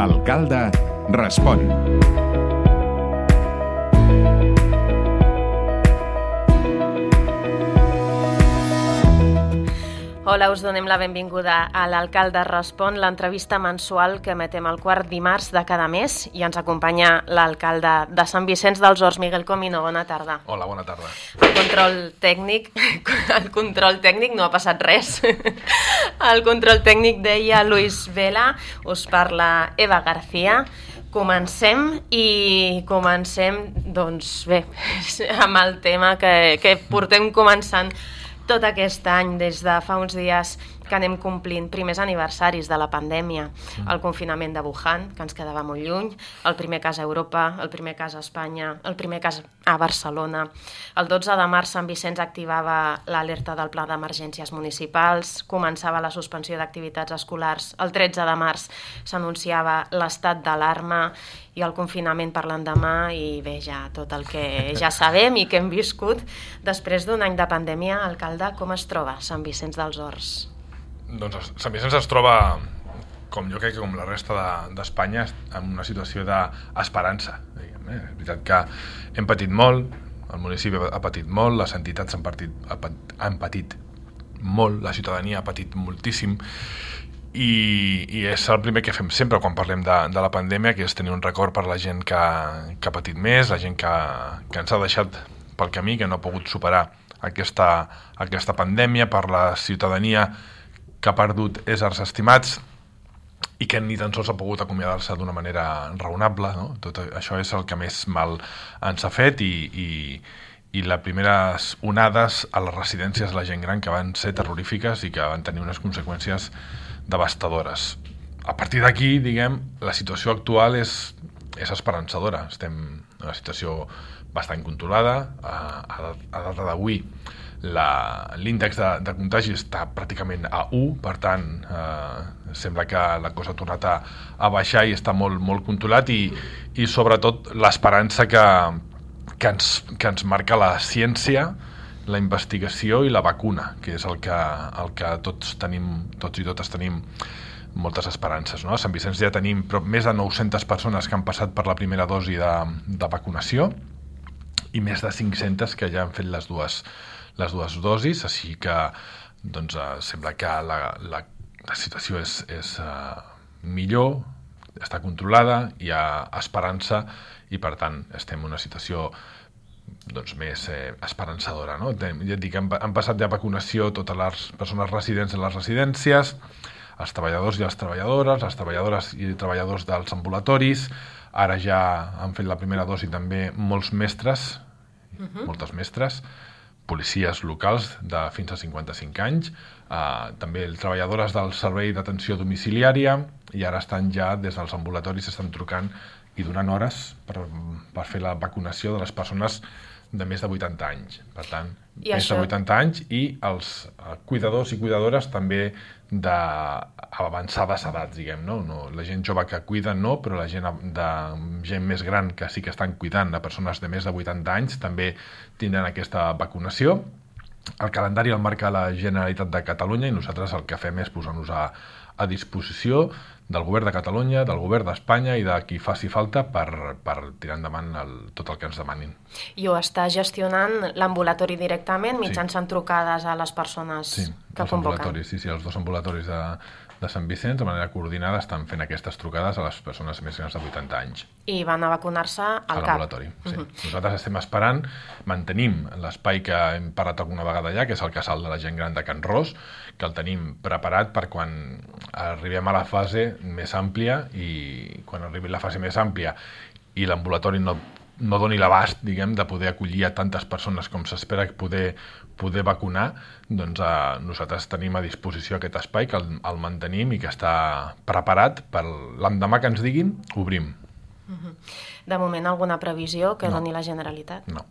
L'alcalde respon. Hola, us donem la benvinguda a l'Alcalde Respon, l'entrevista mensual que emetem el quart dimarts de cada mes i ens acompanya l'alcalde de Sant Vicenç dels Horts, Miguel Comino. Bona tarda. Hola, bona tarda. El control tècnic no ha passat res. El control tècnic deia Luis Vela, us parla Eva García. Comencem, doncs bé, amb el tema que portem començant tot aquest any, des de fa uns dies que anem complint primers aniversaris de la pandèmia, el confinament de Wuhan, que ens quedava molt lluny, el primer cas a Europa, el primer cas a Espanya, el primer cas a Barcelona. El 12 de març Sant Vicenç activava l'alerta del pla d'emergències municipals, començava la suspensió d'activitats escolars, el 13 de març s'anunciava l'estat d'alarma i el confinament per l'endemà, i bé, ja tot el que ja sabem i que hem viscut. Després d'un any de pandèmia, alcalde, com es troba Sant Vicenç dels Horts? Doncs Sant Vicenç es troba, com jo crec que com la resta d'Espanya, en una situació d'esperança. És veritat que hem patit molt, el municipi ha patit molt, les entitats han patit molt, la ciutadania ha patit moltíssim, i és el primer que fem sempre quan parlem de la pandèmia, que és tenir un record per la gent que ha patit més, la gent que ens ha deixat pel camí, que no ha pogut superar aquesta pandèmia, per la ciutadania que ha perdut éssers estimats i que ni tan sols ha pogut acomiadar-se d'una manera raonable, no? Tot això és el que més mal ens ha fet, i les primeres onades a les residències de la gent gran, que van ser terrorífiques i que van tenir unes conseqüències devastadores. A partir d'aquí, diguem, la situació actual és esperançadora. Estem en una situació bastant controlada. A data d'avui l'índex de contagi està pràcticament a 1, per tant sembla que la cosa ha tornat a baixar i està molt, molt controlat, i sobretot l'esperança que ens marca la ciència, la investigació i la vacuna, que és el que tots i totes tenim moltes esperances, no? A Sant Vicenç ja tenim més de 900 persones que han passat per la primera dosi de vacunació i més de 500 que ja han fet les dues dosis, així que doncs, sembla que la situació és millor, està controlada, hi ha esperança, i per tant estem en una situació doncs més esperançadora, no? Ja et dic, han passat ja vacunació totes les persones residents en les residències, els treballadors i les treballadores i treballadors dels ambulatoris. Ara ja han fet la primera dosi també molts mestres, moltes mestres, policies locals de fins a 55 anys, també treballadores del servei d'atenció domiciliària, i ara estan ja des dels ambulatoris estan trucant i donant hores per fer la vacunació de les persones de més de 80 anys. Per tant, més de 80 anys, i els cuidadors i cuidadores també d'avançades edats, diguem, no? La gent jove que cuida no, però la gent més gran que sí que estan cuidant a persones de més de 80 anys també tindran aquesta vacunació. El calendari el marca la Generalitat de Catalunya, i nosaltres el que fem és posar-nos a disposició del govern de Catalunya, del govern d'Espanya i de qui faci falta per tirar endavant tot el que ens demanin. I ho està gestionant l'ambulatori directament, mitjançant trucades a les persones que convoquen? Sí, els dos ambulatoris de Sant Vicenç, de manera coordinada, estan fent aquestes trucades a les persones més grans de 80 anys. I van a vacunar-se al CAP? A l'ambulatori, sí. Nosaltres estem esperant, mantenim l'espai que hem parat alguna vegada ja, que és el casal de la gent gran de Can Ros, que el tenim preparat per quan arribem a la fase més àmplia, i quan arribi la fase més àmplia i l'ambulatori no doni l'abast, diguem, de poder acollir a tantes persones com s'espera poder vacunar, doncs nosaltres tenim a disposició aquest espai, que el mantenim i que està preparat per l'endemà que ens diguin, obrim. De moment, alguna previsió que doni la Generalitat? No.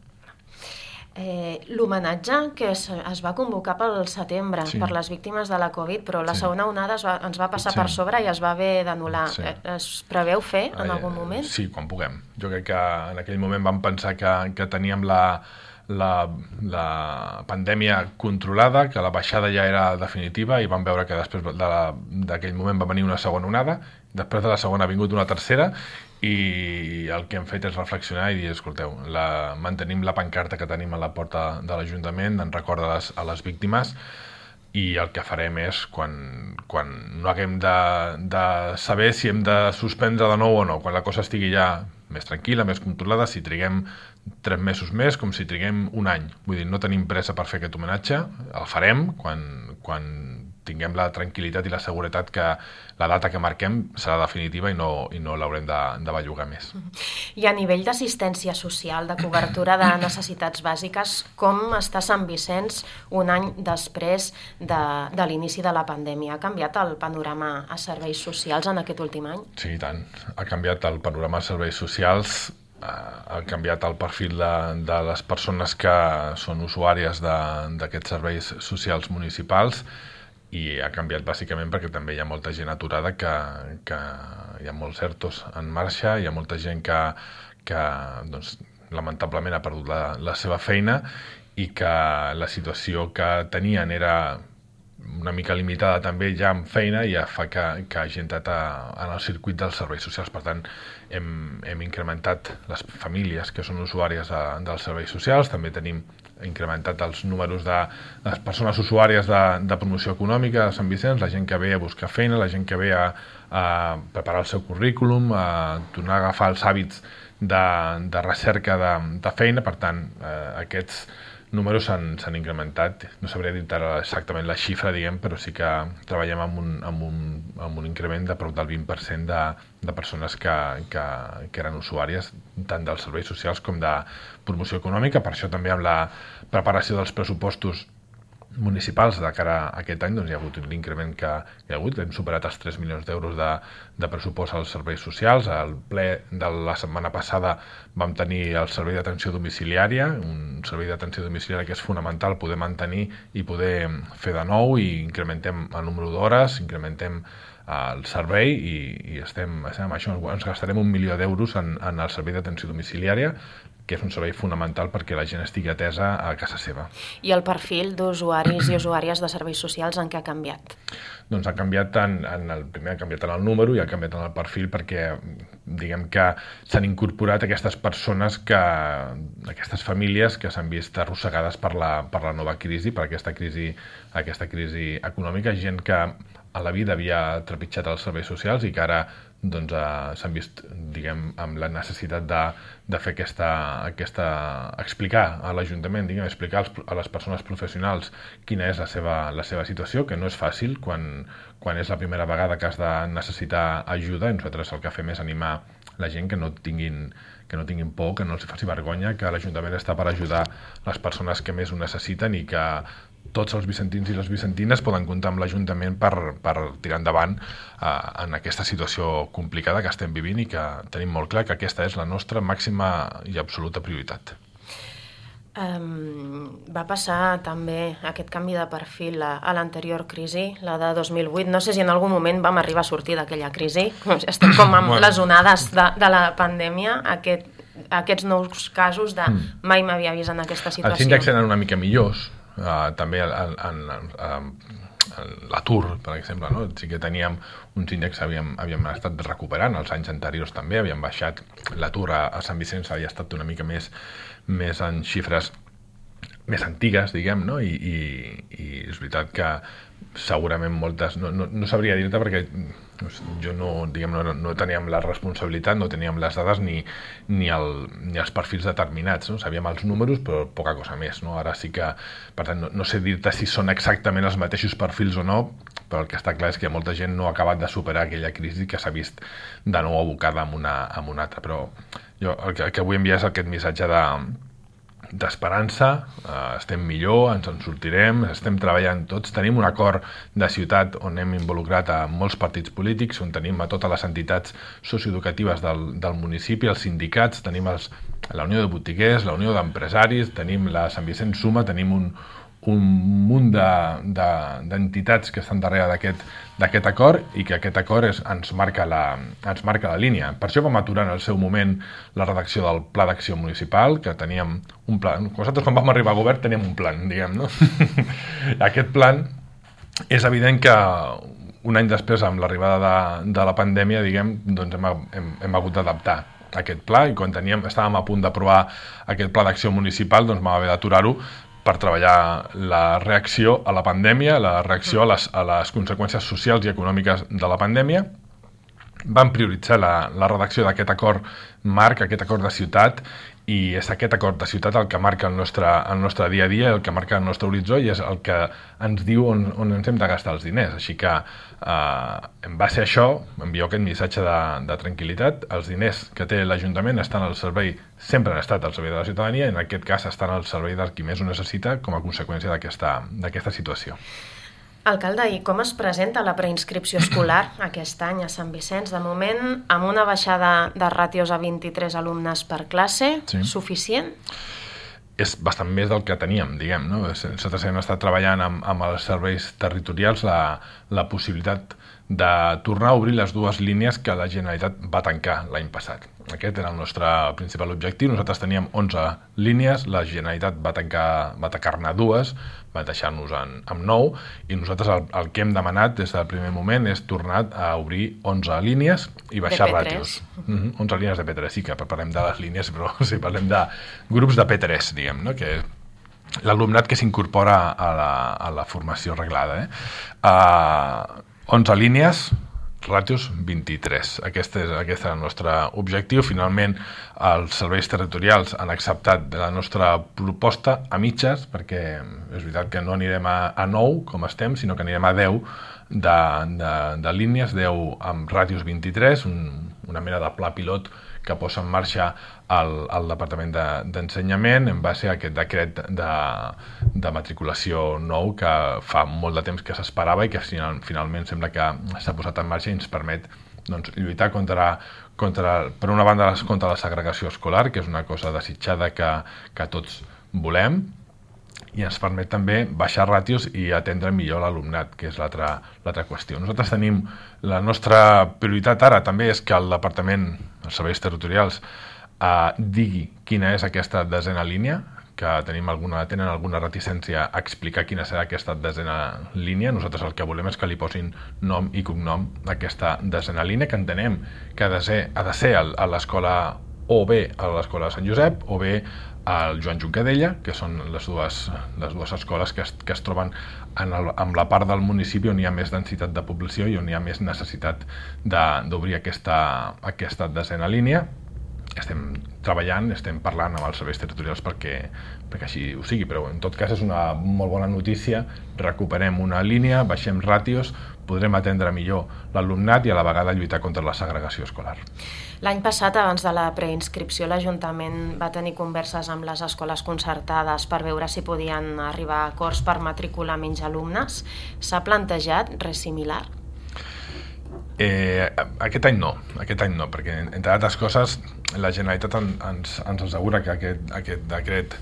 L'homenatge que es va convocar pel setembre per les víctimes de la Covid, però la segona onada ens va passar per sobre i es va haver d'anul·lar. Es preveu fer en algun moment? Sí, quan puguem. Jo crec que en aquell moment vam pensar que teníem la pandèmia controlada, que la baixada ja era definitiva i vam veure que després d'aquell moment va venir una segona onada, després de la segona ha vingut una tercera i el que hem fet és reflexionar i dir, escolteu, mantenim la pancarta que tenim a la porta de l'Ajuntament en record a les víctimes i el que farem és, quan no haguem de saber si hem de suspendre de nou o no, quan la cosa estigui ja més tranquil·la, més controlada, si triguem 3 mesos més, com si triguem un any. Vull dir, no tenim pressa per fer aquest homenatge, el farem quan tinguem la tranquil·litat i la seguretat que la data que marquem serà definitiva i no l'haurem de bellugar més. I a nivell d'assistència social, de cobertura de necessitats bàsiques, com està Sant Vicenç un any després de l'inici de la pandèmia? Ha canviat el panorama a serveis socials en aquest últim any? Sí, i tant. Ha canviat el panorama a serveis socials, ha canviat el perfil de les persones que són usuàries d'aquests serveis socials municipals i ha canviat bàsicament perquè també hi ha molta gent aturada que hi ha molts ERTOs en marxa, hi ha molta gent que doncs, lamentablement ha perdut la seva feina i que la situació que tenien era una mica limitada també ja amb feina i ja fa que hagi entrat en el circuit dels serveis socials. Per tant, hem incrementat les famílies que són usuàries dels serveis socials, també tenim incrementat els números de les persones usuàries de promoció econòmica de Sant Vicenç, la gent que ve a buscar feina, la gent que ve a preparar el seu currículum, a tornar a agafar els hàbits de recerca de feina. Per tant, aquests números s'han incrementat. No sabria dir exactament la xifra, diguem, però sí que treballem amb un increment de prop del 20% de persones que eren usuàries tant dels serveis socials com de promoció econòmica. Per això també amb la preparació dels pressupostos municipals de cara a aquest any doncs hi ha hagut l'increment que hi ha hagut. Hem superat els 3 milions d'euros de pressupost als serveis socials. Al ple de la setmana passada vam tenir el servei d'atenció domiciliària, un servei d'atenció domiciliària que és fonamental poder mantenir i poder fer de nou, i incrementem el número d'hores, incrementem el servei i estem això, ens gastarem 1 milió d'euros en el servei d'atenció domiciliària, que és un servei fonamental perquè la gent estigui atesa a casa seva. I el perfil d'usuaris i usuàries de serveis socials en què ha canviat? Doncs ha canviat primer ha canviat en el número i ha canviat en el perfil perquè diguem que s'han incorporat aquestes persones, aquestes famílies que s'han vist arrossegades per la nova crisi, per aquesta crisi econòmica, gent que a la vida havia trepitjat els serveis socials i que ara doncs, s'han vist, diguem, amb la necessitat de fer explicar a l'Ajuntament, explicar a les persones professionals quina és la seva situació, que no és fàcil quan és la primera vegada que has de necessitar ajuda. I nosaltres el que fem és animar la gent que no tinguin por, que no els faci vergonya, que l'Ajuntament està per ajudar les persones que més ho necessiten i que tots els vicentins i les vicentines poden comptar amb l'Ajuntament per tirar endavant en aquesta situació complicada que estem vivint i que tenim molt clar que aquesta és la nostra màxima i absoluta prioritat. Va passar també aquest canvi de perfil a l'anterior crisi, la de 2008. No sé si en algun moment vam arribar a sortir d'aquella crisi. Estem com amb les onades de la pandèmia, aquests nous casos de mai m'havia vist en aquesta situació. Els índexs eren una mica millors, també l'atur, per exemple, no? Sí que teníem uns índexs que havíem estat recuperant, els anys anteriors també havíem baixat, l'atur a Sant Vicenç havia estat una mica més en xifres més antigues, diguem, no? I és veritat que segurament moltes, no sabria dir-te perquè jo no teníem la responsabilitat, no teníem les dades ni els perfils determinats, no? Sabíem els números però poca cosa més, no? Ara sí que, per tant, no sé dir-te si són exactament els mateixos perfils o no, però el que està clar és que molta gent no ha acabat de superar aquella crisi que s'ha vist de nou abocada amb una altra. Però jo el que vull enviar és aquest missatge d'esperança, estem millor, ens en sortirem, estem treballant tots, tenim un acord de ciutat on hem involucrat a molts partits polítics, on tenim a totes les entitats socioeducatives del municipi, els sindicats, tenim la Unió de Botiguers, la Unió d'Empresaris, tenim la Sant Vicenç Suma, tenim un munt d'entitats que estan darrere d'aquest acord i que aquest acord ens marca la línia. Per això vam aturar en el seu moment la redacció del Pla d'Acció Municipal, que teníem un pla. Nosaltres quan vam arribar a govern teníem un plan, diguem, no? Aquest plan és evident que un any després, amb l'arribada de la pandèmia, diguem, doncs hem hagut d'adaptar aquest pla i quan estàvem a punt d'aprovar aquest Pla d'Acció Municipal, doncs vam haver d'aturar-ho per treballar la reacció a la pandèmia, la reacció a les conseqüències socials i econòmiques de la pandèmia. Vam prioritzar la redacció d'aquest acord marc, aquest acord de ciutat, i és aquest acord de ciutat el que marca el nostre dia a dia, el que marca el nostre horitzó i és el que ens diu on ens hem de gastar els diners. Així que en base a això envio aquest missatge de tranquil·litat. Els diners que té l'Ajuntament estan al servei, sempre han estat al servei de la ciutadania, i en aquest cas estan al servei del qui més ho necessita com a conseqüència d'aquesta situació. Alcalde, i com es presenta la preinscripció escolar aquest any a Sant Vicenç? De moment, amb una baixada de ràtios a 23 alumnes per classe, sí. Suficient? És bastant més del que teníem, diguem, no? Nosaltres hem estat treballant amb els serveis territorials la possibilitat de tornar a obrir les dues línies que la Generalitat va tancar l'any passat. Aquest era el nostre principal objectiu. Nosaltres teníem 11 línies, la Generalitat va tancar-ne dues, va deixar-nos amb 9, i nosaltres el que hem demanat des del primer moment és tornar a obrir 11 línies i baixar ràtios. 11 línies de P3, sí que parlem de les línies, però sí, parlem de grups de P3, diguem, no? Que l'alumnat que s'incorpora a la formació reglada. 11 línies, ràtios 23. Aquest era el nostre objectiu. Finalment, els serveis territorials han acceptat la nostra proposta a mitges, perquè és veritat que no anirem a 9, com estem, sinó que anirem a 10 de línies, 10 amb ràtios 23, una mena de pla pilot que posa en marxa el Departament d'Ensenyament en base a aquest decret de matriculació nou que fa molt de temps que s'esperava i que finalment sembla que s'ha posat en marxa i ens permet lluitar per una banda contra la segregació escolar, que és una cosa desitjada que tots volem, i ens permet també baixar ràtios i atendre millor l'alumnat, que és l'altra qüestió. Nosaltres tenim la nostra prioritat ara també és que el Departament, els serveis territorials, digui quina és aquesta desena línia, que tenen alguna reticència a explicar quina serà aquesta desena línia. Nosaltres el que volem és que li posin nom i cognom a aquesta desena línia, que entenem que ha de ser a l'escola, o bé a l'escola de Sant Josep, o bé al Joan Juncadella, que són les dues escoles que es troben en la part del municipi on hi ha més densitat de població i on hi ha més necessitat d'obrir aquesta desena línia. Estem treballant, estem parlant amb els serveis territorials perquè així ho sigui, però en tot cas és una molt bona notícia. Recuperem una línia, baixem ràtios, podrem atendre millor l'alumnat i a la vegada lluitar contra la segregació escolar. L'any passat, abans de la preinscripció, l'Ajuntament va tenir converses amb les escoles concertades per veure si podien arribar a acords per matricular menys alumnes. S'ha plantejat res similar? Aquest any no, perquè entre altres coses la Generalitat ens assegura que aquest decret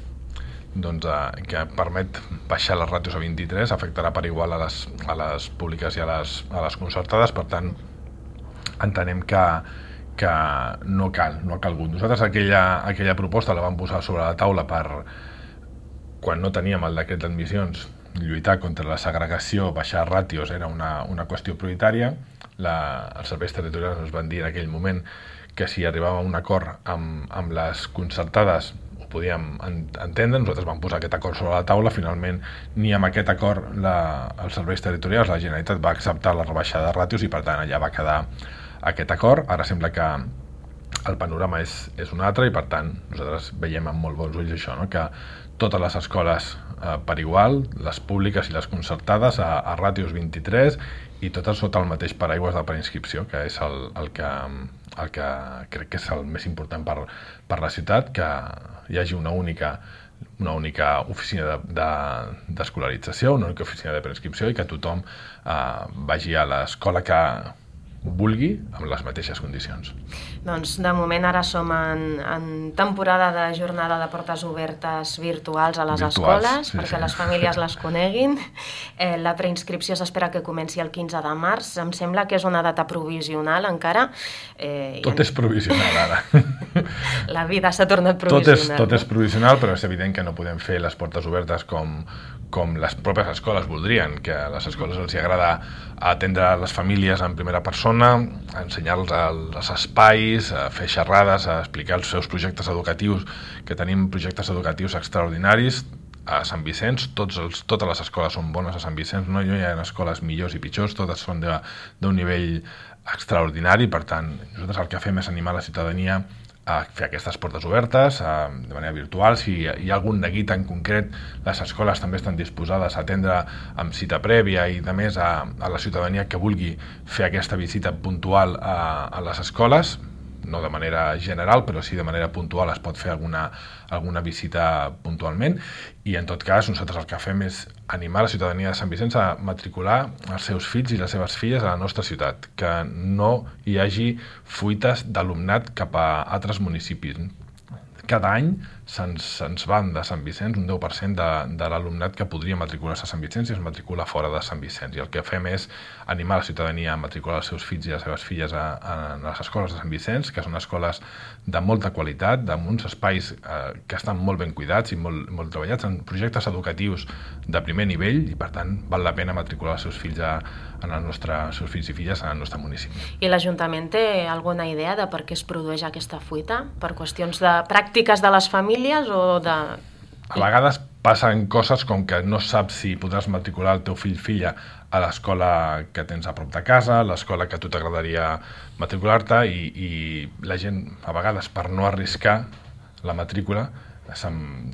que permet baixar les ràtios a 23 afectarà per igual a les públiques i a les concertades. Per tant, entenem que no ha calgut. Nosaltres aquella proposta la vam posar sobre la taula quan no teníem el decret d'admissions. Lluitar contra la segregació, baixar ràtios era una qüestió prioritària. Els serveis territorials ens van dir en aquell moment que si arribàvem a un acord amb les concertades ho podíem entendre. Nosaltres vam posar aquest acord sobre la taula. Finalment, ni amb aquest acord els serveis territorials, la Generalitat va acceptar la rebaixada de ràtios i per tant allà va quedar aquest acord. Ara sembla que el panorama és un altre i per tant nosaltres veiem amb molt bons ulls això, no? Que totes les escoles per igual, les públiques i les concertades a ràtios 23 i totes sota el mateix paraigües de preinscripció, que és el que crec que és el més important per la ciutat, que hi hagi una única oficina d'escolarització, una única oficina de preinscripció i que tothom vagi a l'escola vulgui amb les mateixes condicions. Doncs de moment ara som en temporada de jornada de portes obertes virtuals a les escoles, perquè les famílies les coneguin. La preinscripció s'espera que comenci el 15 de març. Em sembla que és una data provisional encara. Tot és provisional ara. La vida s'ha tornat provisional. Tot és provisional, però és evident que no podem fer les portes obertes com les pròpies escoles voldrien, que a les escoles els agrada atendre les famílies en primera persona, ensenyar-los els espais, fer xerrades, explicar els seus projectes educatius, que tenim projectes educatius extraordinaris a Sant Vicenç. Totes les escoles són bones a Sant Vicenç, no hi ha escoles millors i pitjors, totes són d'un nivell extraordinari. Per tant, nosaltres el que fem és animar la ciutadania a fer aquestes portes obertes de manera virtual. Si hi ha algun neguit en concret, les escoles també estan disposades a atendre amb cita prèvia i de més a la ciutadania que vulgui fer aquesta visita puntual a les escoles, no de manera general, però sí de manera puntual es pot fer alguna visita puntualment. I en tot cas nosaltres el que fem és animar la ciutadania de Sant Vicenç a matricular els seus fills i les seves filles a la nostra ciutat, que no hi hagi fuites d'alumnat cap a altres municipis. Cada any se'ns van de Sant Vicenç un 10% de l'alumnat que podria matricular-se a Sant Vicenç i es matricula fora de Sant Vicenç. I el que fem és animar la ciutadania a matricular els seus fills i les seves filles a les escoles de Sant Vicenç, que són escoles de molta qualitat, amb uns espais que estan molt ben cuidats i molt treballats, en projectes educatius de primer nivell, i per tant val la pena matricular els seus fills seus fills i filles en el nostre municipi. I l'Ajuntament té alguna idea de per què es produeix aquesta fuita? Per qüestions de pràctiques de les famílies o de... A vegades passen coses com que no saps si podràs matricular el teu fill-filla a l'escola que tens a prop de casa, l'escola que a tu t'agradaria matricular-te, i la gent, a vegades, per no arriscar la matrícula,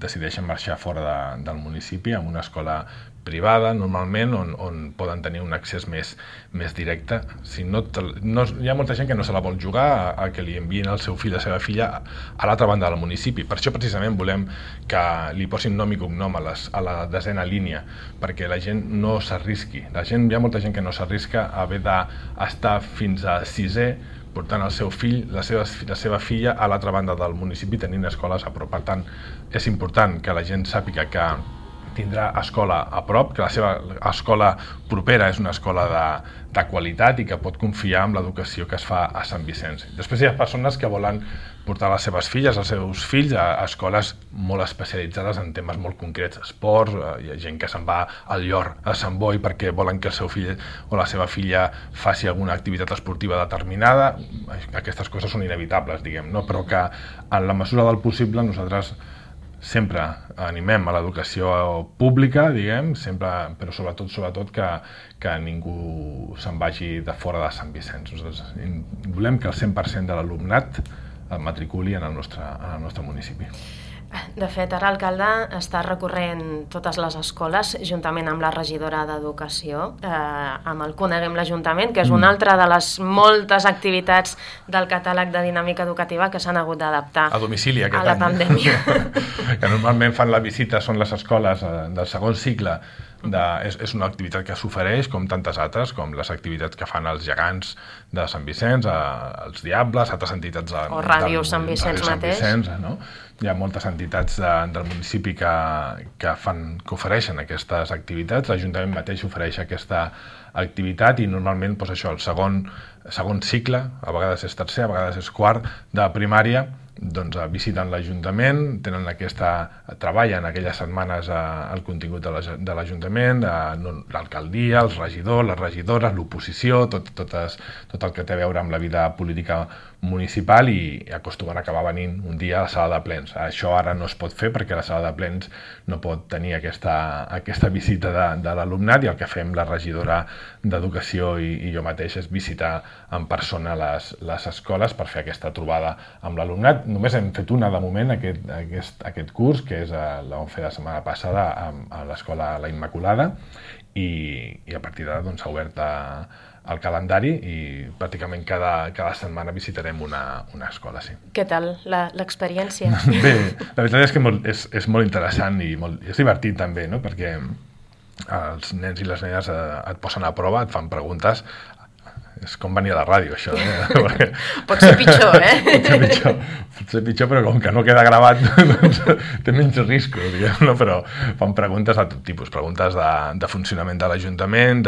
decideixen marxar fora del municipi amb una escola privada, normalment, on poden tenir un accés més directe. Si no, hi ha molta gent que no se la vol jugar a que li enviïn el seu fill o la seva filla a l'altra banda del municipi. Per això precisament volem que li posin nom i cognom a la desena línia, perquè la gent no s'arrisqui. Hi ha molta gent que no s'arrisca a haver d'estar fins a 6è portant el seu fill, la seva filla a l'altra banda del municipi tenint escoles a prop. Per tant, és important que la gent sàpiga que tindrà escola a prop, que la seva escola propera és una escola de qualitat i que pot confiar en l'educació que es fa a Sant Vicenç. Després hi ha persones que volen portar les seves filles, els seus fills, a escoles molt especialitzades en temes molt concrets, esports, hi ha gent que se'n va al Llor, a Sant Boi, perquè volen que el seu fill o la seva filla faci alguna activitat esportiva determinada. Aquestes coses són inevitables, diguem, no? Però que en la mesura del possible nosaltres sempre animem a l'educació pública, diguem, sempre, però sobretot que ningú se'n vagi de fora de Sant Vicenç. Nosaltres volem que el 100% de l'alumnat el matriculi en el nostre municipi. De fet, ara l'alcalde està recorrent totes les escoles juntament amb la regidora d'Educació, amb el Coneguem l'Ajuntament, que és una altra de les moltes activitats del catàleg de dinàmica educativa que s'han hagut d'adaptar a domicili a la pandèmia. Que normalment fan la visita, són les escoles del segon cicle. És una activitat que s'ofereix com tantes altres, com les activitats que fan els gegants de Sant Vicenç, els Diables, altres entitats o Ràdio Sant Vicenç mateix. No? Hi ha moltes entitats del municipi que ofereixen aquestes activitats. L'Ajuntament mateix ofereix aquesta activitat i normalment el segon cicle, a vegades és tercer, a vegades és quart, de primària, doncs visiten l'Ajuntament, treballen aquelles setmanes el contingut de l'Ajuntament, l'alcaldia, els regidors, les regidores, l'oposició, tot el que té a veure amb la vida política municipal, i acostumen a acabar venint un dia a la sala de plens. Això ara no es pot fer perquè la sala de plens no pot tenir aquesta visita de l'alumnat, i el que fem la regidora d'Educació i jo mateix és visitar en persona les escoles per fer aquesta trobada amb l'alumnat. Només hem fet una de moment aquest curs, que és la vam fer la setmana passada a l'escola La Immaculada, i a partir d'ara s'ha obert el calendari i pràcticament cada setmana visitarem una escola. Sí. Què tal l'experiència? Bé, la veritat és que és molt interessant i és divertit també, no? Perquè els nens i les nenes et posen a prova, et fan preguntes. És com venir a la ràdio, això, Perquè... Pot ser pitjor, Pot ser pitjor, però com que no queda gravat, doncs té menys risc, diguem, no? Però fan preguntes de tot tipus, preguntes de funcionament de l'Ajuntament,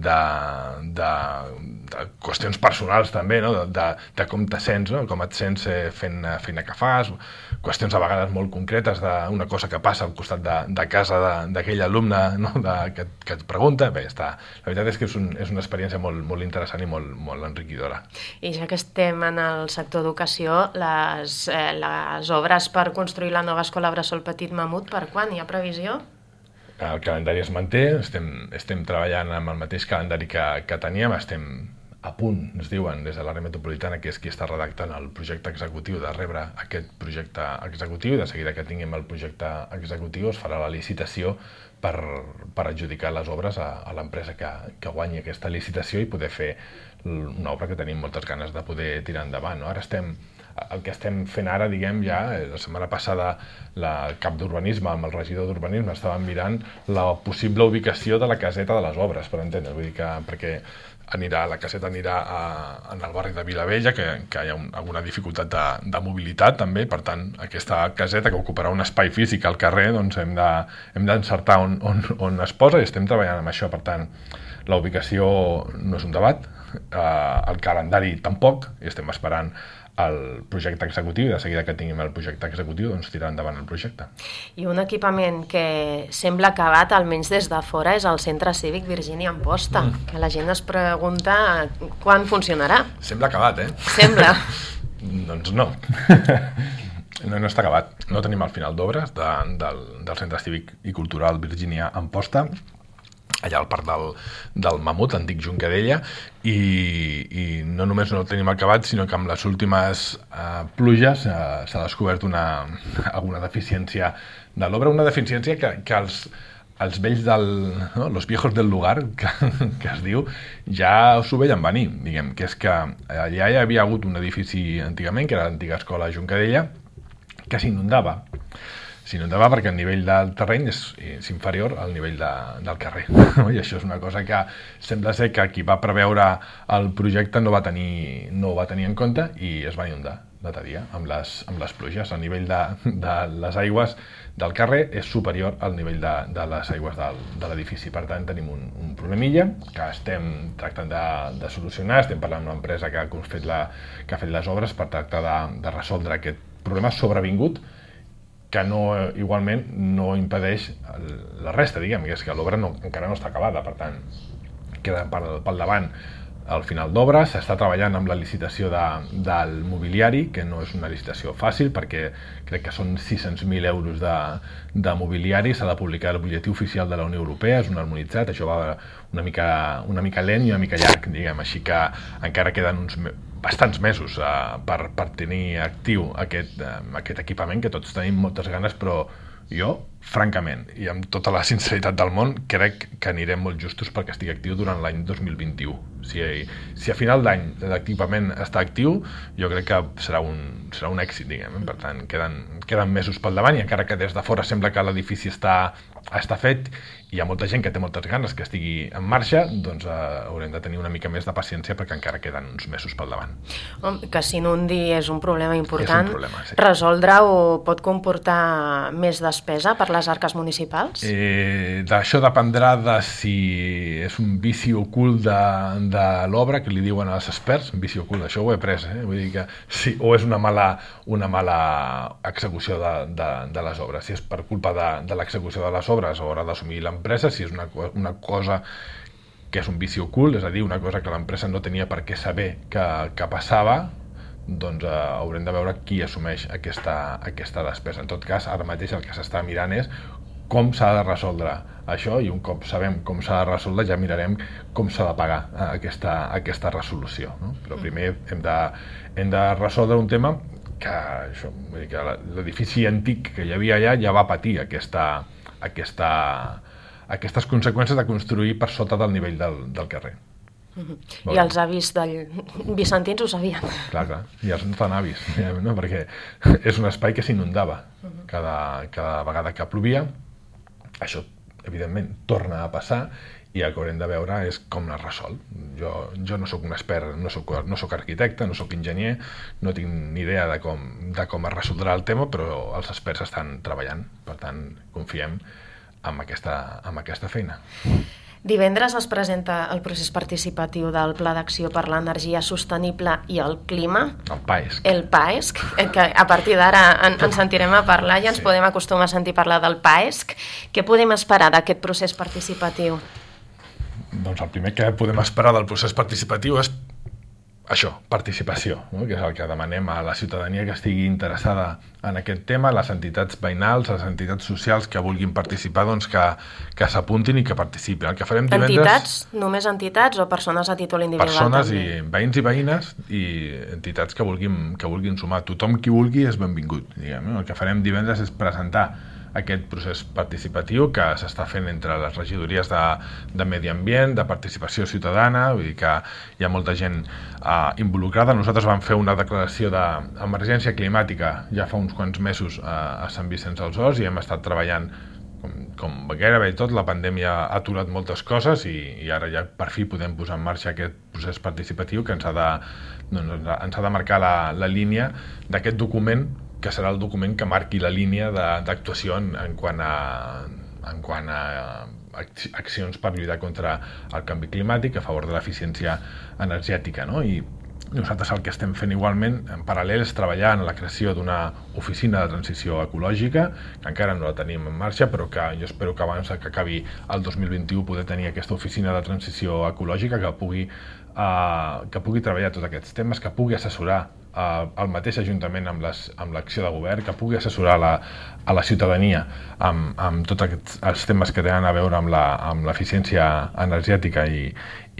de qüestions personals també, no? De com te sents, no? Com et sents fent feina que fas, qüestions a vegades molt concretes d'una cosa que passa al costat de casa d'aquell alumne, no? Que et pregunta. Bé, la veritat és que és una experiència molt interessant i molt enriquidora. I ja que estem en el sector educació, les obres per construir la nova escola Bressol Petit Mamut, per quan? Hi ha previsió? El calendari es manté, estem treballant amb el mateix calendari que teníem, estem a punt, ens diuen, des de l'àrea metropolitana, que és qui està redactant el projecte executiu, de rebre aquest projecte executiu, i de seguida que tinguem el projecte executiu es farà la licitació per adjudicar les obres a l'empresa que guanyi aquesta licitació i poder fer una obra que tenim moltes ganes de poder tirar endavant, no? El que estem fent ara, diguem, ja, la setmana passada el cap d'urbanisme amb el regidor d'urbanisme estàvem mirant la possible ubicació de la caseta de les obres, per entendre, vull dir que perquè la caseta anirà en el barri de Vilavella, que hi ha alguna dificultat de mobilitat també, per tant aquesta caseta que ocuparà un espai físic al carrer, doncs hem d'encertar on es posa i estem treballant amb això. Per tant, la ubicació no és un debat, el calendari tampoc, i estem esperant el projecte executiu, i de seguida que tinguem el projecte executiu doncs tirar endavant el projecte. I un equipament que sembla acabat, almenys des de fora, és el Centre Cívic Virgínia Amposta, que la gent es pregunta quan funcionarà. Sembla acabat, Sembla. Doncs no. No està acabat. No tenim el final d'obres del Centre Cívic i Cultural Virgínia Amposta, allà al parc del Mamut, l'antic Juncadella, i no només no el tenim acabat, sinó que amb les últimes pluges s'ha descobert alguna deficiència de l'obra, una deficiència que els vells los viejos del lugar, que es diu, ja s'ho veien venir, diguem, que és que allà hi havia hagut un edifici antigament, que era l'antiga escola Juncadella, que s'inundava perquè el nivell del terreny és inferior al nivell del carrer. I això és una cosa que sembla ser que qui va preveure el projecte no ho va tenir en compte i es va inundar l'altre dia amb les pluges. El nivell de les aigües del carrer és superior al nivell de les aigües de l'edifici. Per tant, tenim un problemilla que estem tractant de solucionar. Estem parlant amb l'empresa que ha fet les obres per tractar de resoldre aquest problema sobrevingut, que igualment no impedeix la resta, diguem, que és que l'obra encara no està acabada, per tant, queda pel davant al final d'obra. S'està treballant amb la licitació del mobiliari, que no és una licitació fàcil, perquè crec que són 600.000 euros de mobiliari, s'ha de publicar el butlletí oficial de la Unió Europea, és un harmonitzat, això va una mica lent i una mica llarg, diguem, així que encara queden bastants mesos per tenir actiu aquest equipament, que tots tenim moltes ganes, però jo, francament, i amb tota la sinceritat del món, crec que anirem molt justos perquè estigui actiu durant l'any 2021. Si a final d'any l'equipament està actiu, jo crec que serà un èxit, diguem. Per tant, queden mesos pel davant, i encara que des de fora sembla que l'edifici està fet, hi ha molta gent que té moltes ganes que estigui en marxa, doncs haurem de tenir una mica més de paciència perquè encara queden uns mesos pel davant. Que s'inundi és un problema important. És un problema, sí. Resoldre-ho pot comportar més despesa per les arques municipals? D'això dependrà de si és un vici ocult de l'obra, que li diuen als experts, un vici ocult, això ho he après, vull dir que sí, o és una mala execució de les obres. Si és per culpa de l'execució de les obres, haurà d'assumir l'empresa. Si és una cosa que és un vici ocult, és a dir, una cosa que l'empresa no tenia per què saber que passava, doncs haurem de veure qui assumeix aquesta despesa. En tot cas, ara mateix el que s'està mirant és com s'ha de resoldre això, i un cop sabem com s'ha de resoldre ja mirarem com s'ha de pagar aquesta resolució, no? Però primer hem de resoldre un tema que l'edifici antic que hi havia allà ja va patir aquestes conseqüències de construir per sota del nivell del carrer. I els avis vicentins ho sabien. Clar, i els tan avis, no? Perquè és un espai que s'inundava cada vegada que plovia. Això, evidentment, torna a passar, i el que haurem de veure és com les resol. Jo no sóc un expert, no sóc arquitecte, no sóc enginyer, no tinc ni idea de com es resoldrà el tema, però els experts estan treballant, per tant confiem en aquesta feina. Divendres es presenta el procés participatiu del Pla d'Acció per l'Energia Sostenible i el Clima. El PAESC, que a partir d'ara ens sentirem a parlar i ens podem acostumar a sentir parlar del PAESC. Què podem esperar d'aquest procés participatiu? Doncs el primer que podem esperar del procés participatiu és això, participació, no? Que és el que demanem a la ciutadania que estigui interessada en aquest tema, les entitats veïnals, les entitats socials que vulguin participar, doncs que s'apuntin i que participin. El que farem divendres... Entitats? Només entitats o persones a títol individual? Persones també? I veïns i veïnes i entitats que vulguin sumar. Tothom qui vulgui és benvingut, diguem. El que farem divendres és presentar aquest procés participatiu que s'està fent entre les regidories de Medi Ambient, de participació ciutadana, vull dir que hi ha molta gent involucrada. Nosaltres vam fer una declaració d'emergència climàtica ja fa uns quants mesos a Sant Vicenç dels Horts i hem estat treballant com gairebé tot. La pandèmia ha aturat moltes coses i ara ja per fi podem posar en marxa aquest procés participatiu que ens ha de marcar la línia d'aquest document, que serà el document que marqui la línia d'actuació en quant a accions per lluitar contra el canvi climàtic, a favor de l'eficiència energètica, no? I nosaltres el que estem fent igualment, en paral·lel, és treballar en la creació d'una oficina de transició ecològica, que encara no la tenim en marxa, però que jo espero que abans que acabi el 2021 poder tenir aquesta oficina de transició ecològica que pugui treballar tots aquests temes, que pugui assessorar el mateix Ajuntament amb l'acció de govern, que pugui assessorar a la ciutadania amb tots els temes que tenen a veure amb l'eficiència energètica i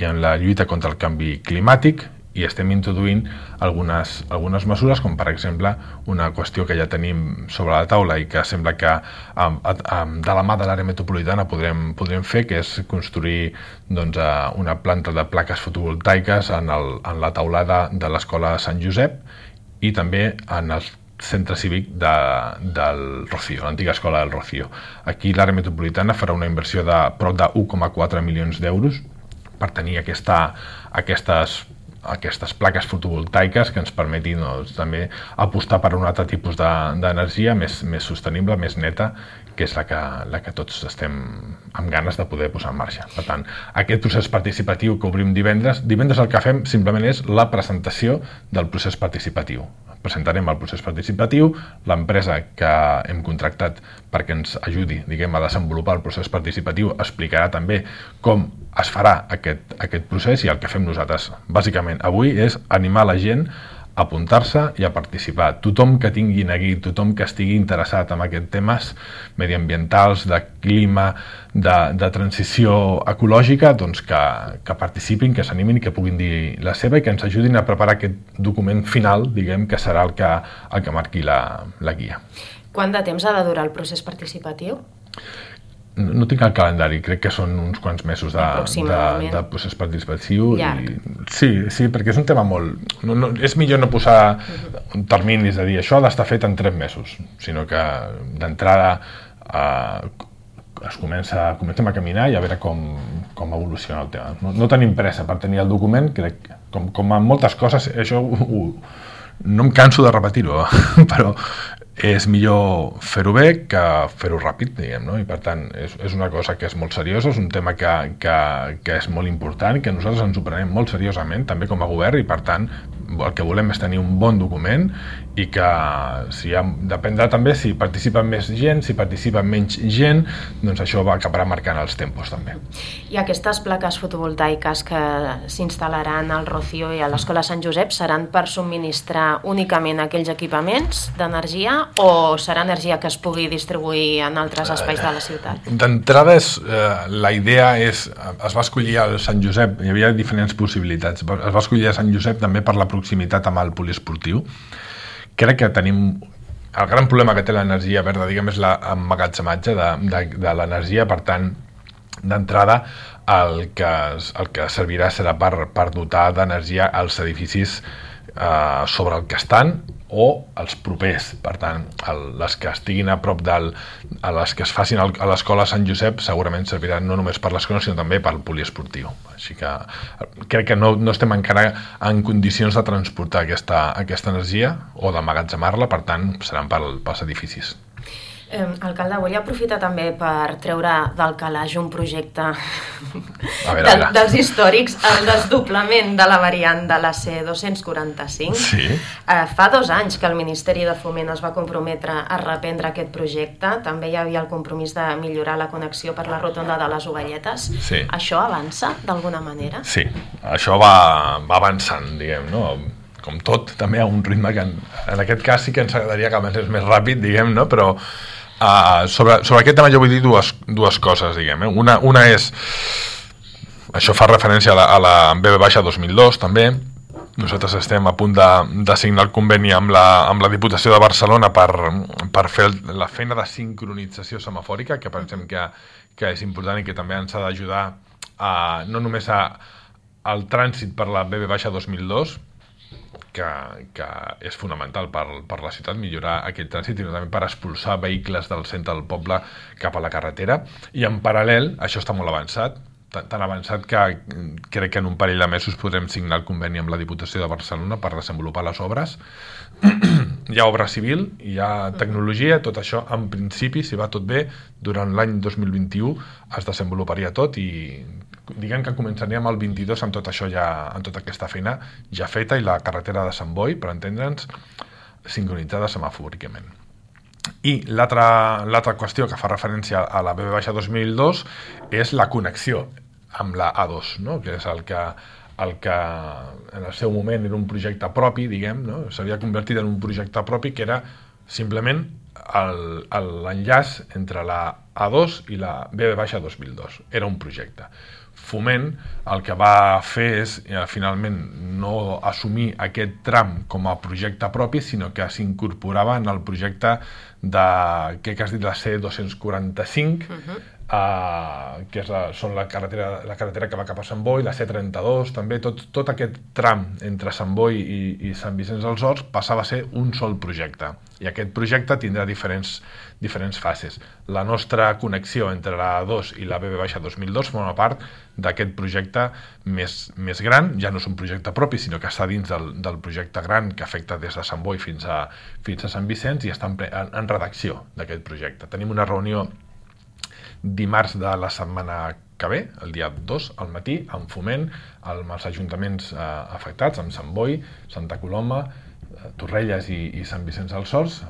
en la lluita contra el canvi climàtic, i estem introduint algunes mesures, com per exemple una qüestió que ja tenim sobre la taula i que sembla que de la mà de l'àrea metropolitana podrem fer, que és construir una planta de plaques fotovoltaiques en la taulada de l'escola Sant Josep i també en el centre cívic del Rocío, l'antiga escola del Rocío. Aquí l'àrea metropolitana farà una inversió de prop de 1,4 milions d'euros per tenir aquestes plaques fotovoltaiques que ens permetin també apostar per un altre tipus d'energia més sostenible, més neta, que és la que tots estem amb ganes de poder posar en marxa. Per tant, aquest procés participatiu que obrim divendres el que fem simplement és la presentació del procés participatiu. Presentarem el procés participatiu, l'empresa que hem contractat perquè ens ajudi, a desenvolupar el procés participatiu explicarà també com es farà aquest procés, i el que fem nosaltres bàsicament avui és animar la gent a apuntar-se i a participar. Tothom que tingui neguit, tothom que estigui interessat en aquests temes mediambientals, de clima, de transició ecològica, doncs que participin, que s'animin i que puguin dir la seva i que ens ajudin a preparar aquest document final, que serà el que marqui la guia. Quant de temps ha de durar el procés participatiu? No tinc el calendari, crec que són uns quants mesos de procés participatiu. Sí, perquè és un tema molt... és millor no posar terminis de dir això ha d'estar fet en 3 mesos, sinó que d'entrada comencem a caminar i a veure com evoluciona el tema. No tenim pressa per tenir el document, crec, com en moltes coses, això no em canso de repetir-ho, però és millor fer-ho bé que fer-ho ràpid, no? I per tant és una cosa que és molt seriosa, és un tema que és molt important, que nosaltres ens ho prenem molt seriosament, també com a govern, i per tant el que volem és tenir un bon document i que dependrà també si participa més gent, si participa menys gent, doncs això acabarà marcant els tempos també. I aquestes plaques fotovoltaiques que s'instal·laran al Rocío i a l'Escola Sant Josep seran per subministrar únicament aquells equipaments d'energia o serà energia que es pugui distribuir en altres espais de la ciutat? D'entrada, la idea es va escollir el Sant Josep, hi havia diferents possibilitats, es va escollir el Sant Josep també per la proximitat amb el poliesportiu. Crec que tenim... El gran problema que té l'energia verda, és l'emmagatzematge de l'energia, per tant, d'entrada, el que servirà serà per dotar d'energia als edificis sobre el que estan o els propers. Per tant, les que estiguin a prop a les que es facin a l'escola Sant Josep segurament serviran no només per l'escola sinó també pel poliesportiu. Així que crec que no estem encara en condicions de transportar aquesta energia o d'emmagatzemar-la, per tant seran pels edificis. Alcalde, volia aprofitar també per treure del calaix un projecte dels històrics, el desdoblament de la variant de la C245. Sí. Fa 2 anys que el Ministeri de Foment es va comprometre a reprendre aquest projecte. També hi havia el compromís de millorar la connexió per la rotonda de les Ovelletes. Sí. Això avança d'alguna manera? Sí, això va avançant, diguem, no? Com tot, també a un ritme que en aquest cas sí que ens agradaria que avancés més ràpid, diguem, no? Però sobre aquest tema jo vull dir dues coses, diguem. Una és, això fa referència a la BB-2002 també. Nosaltres estem a punt de signar el conveni amb la Diputació de Barcelona per fer la feina de sincronització semafòrica, que pensem que és important i que també ens ha d'ajudar no només al trànsit per la BB-2002, que és fonamental per la ciutat, millorar aquest trànsit, sinó també per expulsar vehicles del centre del poble cap a la carretera. I en paral·lel, això està molt avançat, tan avançat que crec que en un parell de mesos podrem signar el conveni amb la Diputació de Barcelona per desenvolupar les obres. Hi ha obra civil, hi ha tecnologia, tot això en principi, si va tot bé, durant l'any 2021 es desenvoluparia tot i diguem que començaríem el 22 amb tot això amb tota aquesta feina ja feta i la carretera de Sant Boi, per entendre'ns, sincronitzada semafòricament. I l'altra qüestió que fa referència a la BB-2002 és la connexió amb la A2, no? Que és el que en el seu moment era un projecte propi, diguem, no? S'havia convertit en un projecte propi que era simplement l'enllaç entre la A2 i la BB-2002. Era un projecte. Foment el que va fer és finalment no assumir aquest tram com a projecte propi, sinó que s'incorporava en el projecte que has dit, la C245, que són la carretera que va cap a Sant Boi, la C32 també, tot aquest tram entre Sant Boi i Sant Vicenç dels Horts passava a ser un sol projecte, i aquest projecte tindrà diferents fases. La nostra connexió entre la A2 i la BB-2002 forma part d'aquest projecte més gran. Ja no és un projecte propi, sinó que està dins del projecte gran que afecta des de Sant Boi fins a Sant Vicenç i està en redacció d'aquest projecte. Tenim una reunió dimarts de la setmana que ve, el dia 2 al matí, amb Foment, amb els ajuntaments afectats, amb Sant Boi, Santa Coloma, Torrelles i Sant Vicenç dels Horts.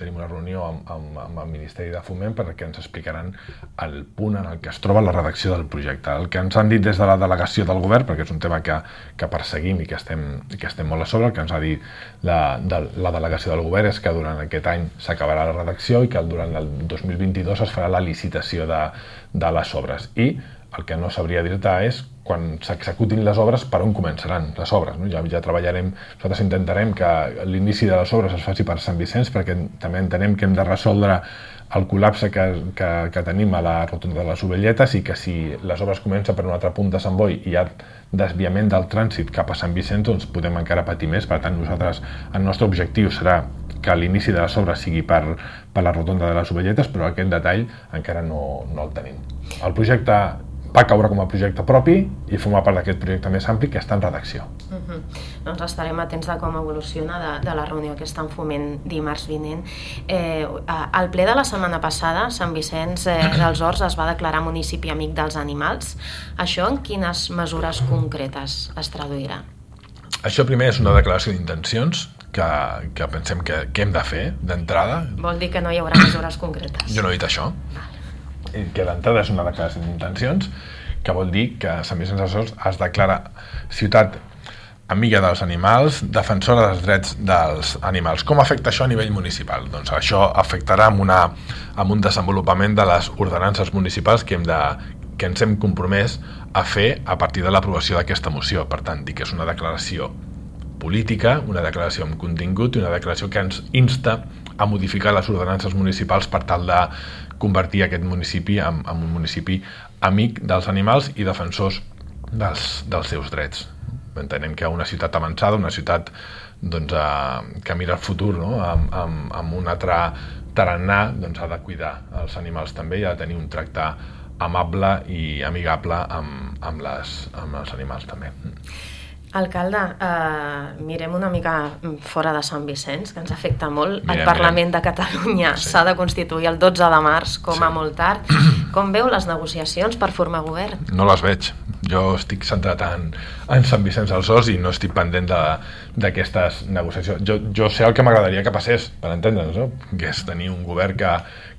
Tenim una reunió amb el Ministeri de Foment perquè ens explicaran el punt en el que es troba la redacció del projecte. El que ens han dit des de la delegació del govern, perquè és un tema que perseguim i que estem molt a sobre, el que ens ha dit la delegació del govern és que durant aquest any s'acabarà la redacció i que durant el 2022 es farà la licitació de les obres. I el que no sabria dir-te és quan s'executin les obres, per on començaran les obres, no? Ja treballarem, nosaltres intentarem que l'inici de les obres es faci per Sant Vicenç, perquè també entenem que hem de resoldre el col·lapse que tenim a la rotonda de les Ovelletes i que si les obres comencen per un altre punt de Sant Boi i hi ha desviament del trànsit cap a Sant Vicenç, doncs podem encara patir més. Per tant, el nostre objectiu serà que l'inici de les obres sigui per la rotonda de les Ovelletes, però aquest detall encara no el tenim. El projecte va caure com a projecte propi i formar part d'aquest projecte més ampli que està en redacció. Doncs estarem atents de com evoluciona de la reunió que està en Foment dimarts vinent. Al ple de la setmana passada, Sant Vicenç dels Horts es va declarar municipi amic dels animals. Això en quines mesures concretes es traduirà? Això primer és una declaració d'intencions que pensem que hem de fer d'entrada. Vol dir que no hi haurà mesures concretes? Jo no he dit això. Que d'entrada és una declaració d'intencions, que vol dir que Sant Vicenç dels Horts es declara ciutat amiga dels animals, defensora dels drets dels animals. Com afecta això a nivell municipal? Doncs això afectarà amb un desenvolupament de les ordenances municipals que ens hem compromès a fer a partir de l'aprovació d'aquesta moció. Per tant, dic que és una declaració política, una declaració amb contingut i una declaració que ens insta a modificar les ordenances municipals per tal de convertir aquest municipi en un municipi amic dels animals i defensors dels seus drets. entenent que una ciutat avançada, una ciutat doncs, que mira el futur, no? amb un altre tarannà, doncs ha de cuidar els animals també i ha de tenir un tracte amable i amigable amb els animals també. Alcalde, mirem una mica fora de Sant Vicenç, que ens afecta molt. El Parlament de Catalunya s'ha de constituir el 12 de març, com a molt tard. Com veu les negociacions per formar govern? No les veig. Jo estic centrat en Sant Vicenç dels Horts i no estic pendent d'aquestes negociacions. Jo sé el que m'agradaria que passés, per entendre'ns, no? Que és tenir un govern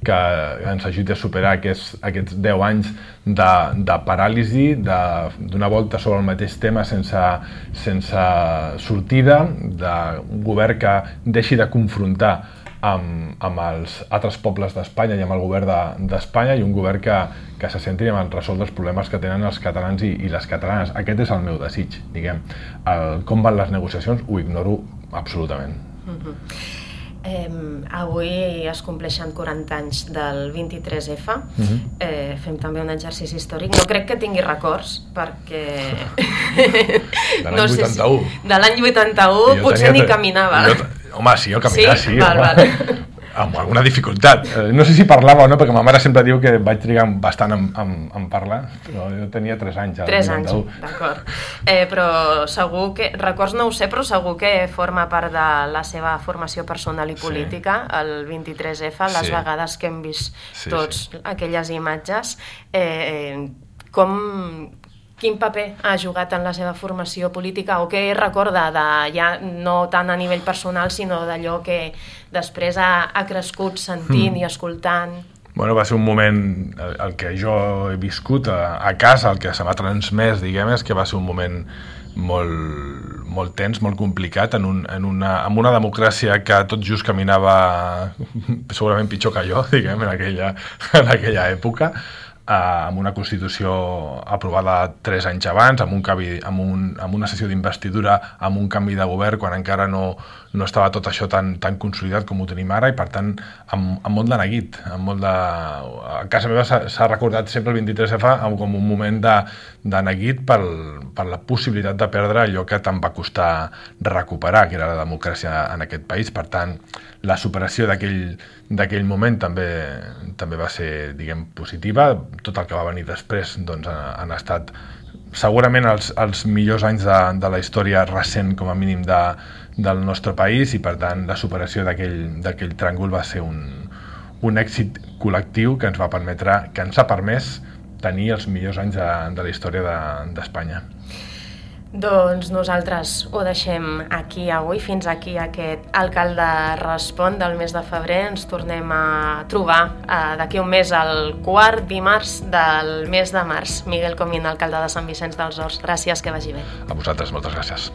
que ens ajudi a superar aquests 10 anys de paràlisi, d'una volta sobre el mateix tema sense sortida, d'un govern que deixi de confrontar amb els altres pobles d'Espanya i amb el govern d'Espanya i un govern que se centri en resoldre els problemes que tenen els catalans i les catalanes. Aquest és el meu desig, diguem. Com van les negociacions ho ignoro absolutament. Avui es compleixen 40 anys del 23F. Fem també un exercici històric. No crec que tingui records, perquè... De l'any 81. De l'any 81 potser ni caminava. Home, sí, jo caminar, sí. Val. Amb alguna dificultat. No sé si parlava o no, perquè ma mare sempre diu que vaig trigar bastant en parlar, però jo tenia 3 anys. 3 anys, d'acord. Però segur que, records no ho sé, però segur que forma part de la seva formació personal i política, el 23F, les vegades que hem vist tots aquelles imatges. Quin paper ha jugat en la seva formació política o què recorda, ja no tant a nivell personal, sinó d'allò que després ha crescut sentint i escoltant? Bueno, va ser un moment, el que jo he viscut a casa, el que se m'ha transmès, diguem, és que va ser un moment molt tens, molt complicat, amb una democràcia que tot just caminava segurament pitjor que jo, diguem, en aquella època, amb una Constitució aprovada 3 anys abans, amb una sessió d'investidura, amb un canvi de govern, quan encara no estava tot això tan consolidat com ho tenim ara, i per tant amb molt de neguit. A casa meva s'ha recordat sempre el 23F com un moment de neguit per la possibilitat de perdre allò que tant va costar recuperar, que era la democràcia en aquest país. Per tant, la superació d'aquell moment també va ser, diguem, positiva. Tot el que va venir després doncs, han estat segurament els millors anys de la història recent, com a mínim, del nostre país, i per tant la superació d'aquell tràngol va ser un èxit col·lectiu que ens ha permès tenir els millors anys de la història d'Espanya. Doncs nosaltres ho deixem aquí avui. Fins aquí aquest Alcalde Respon del mes de febrer. Ens tornem a trobar d'aquí un mes, el 4 dimarts del mes de març. Miguel Comín, alcalde de Sant Vicenç dels Horts. Gràcies, que vagi bé. A vosaltres, moltes gràcies.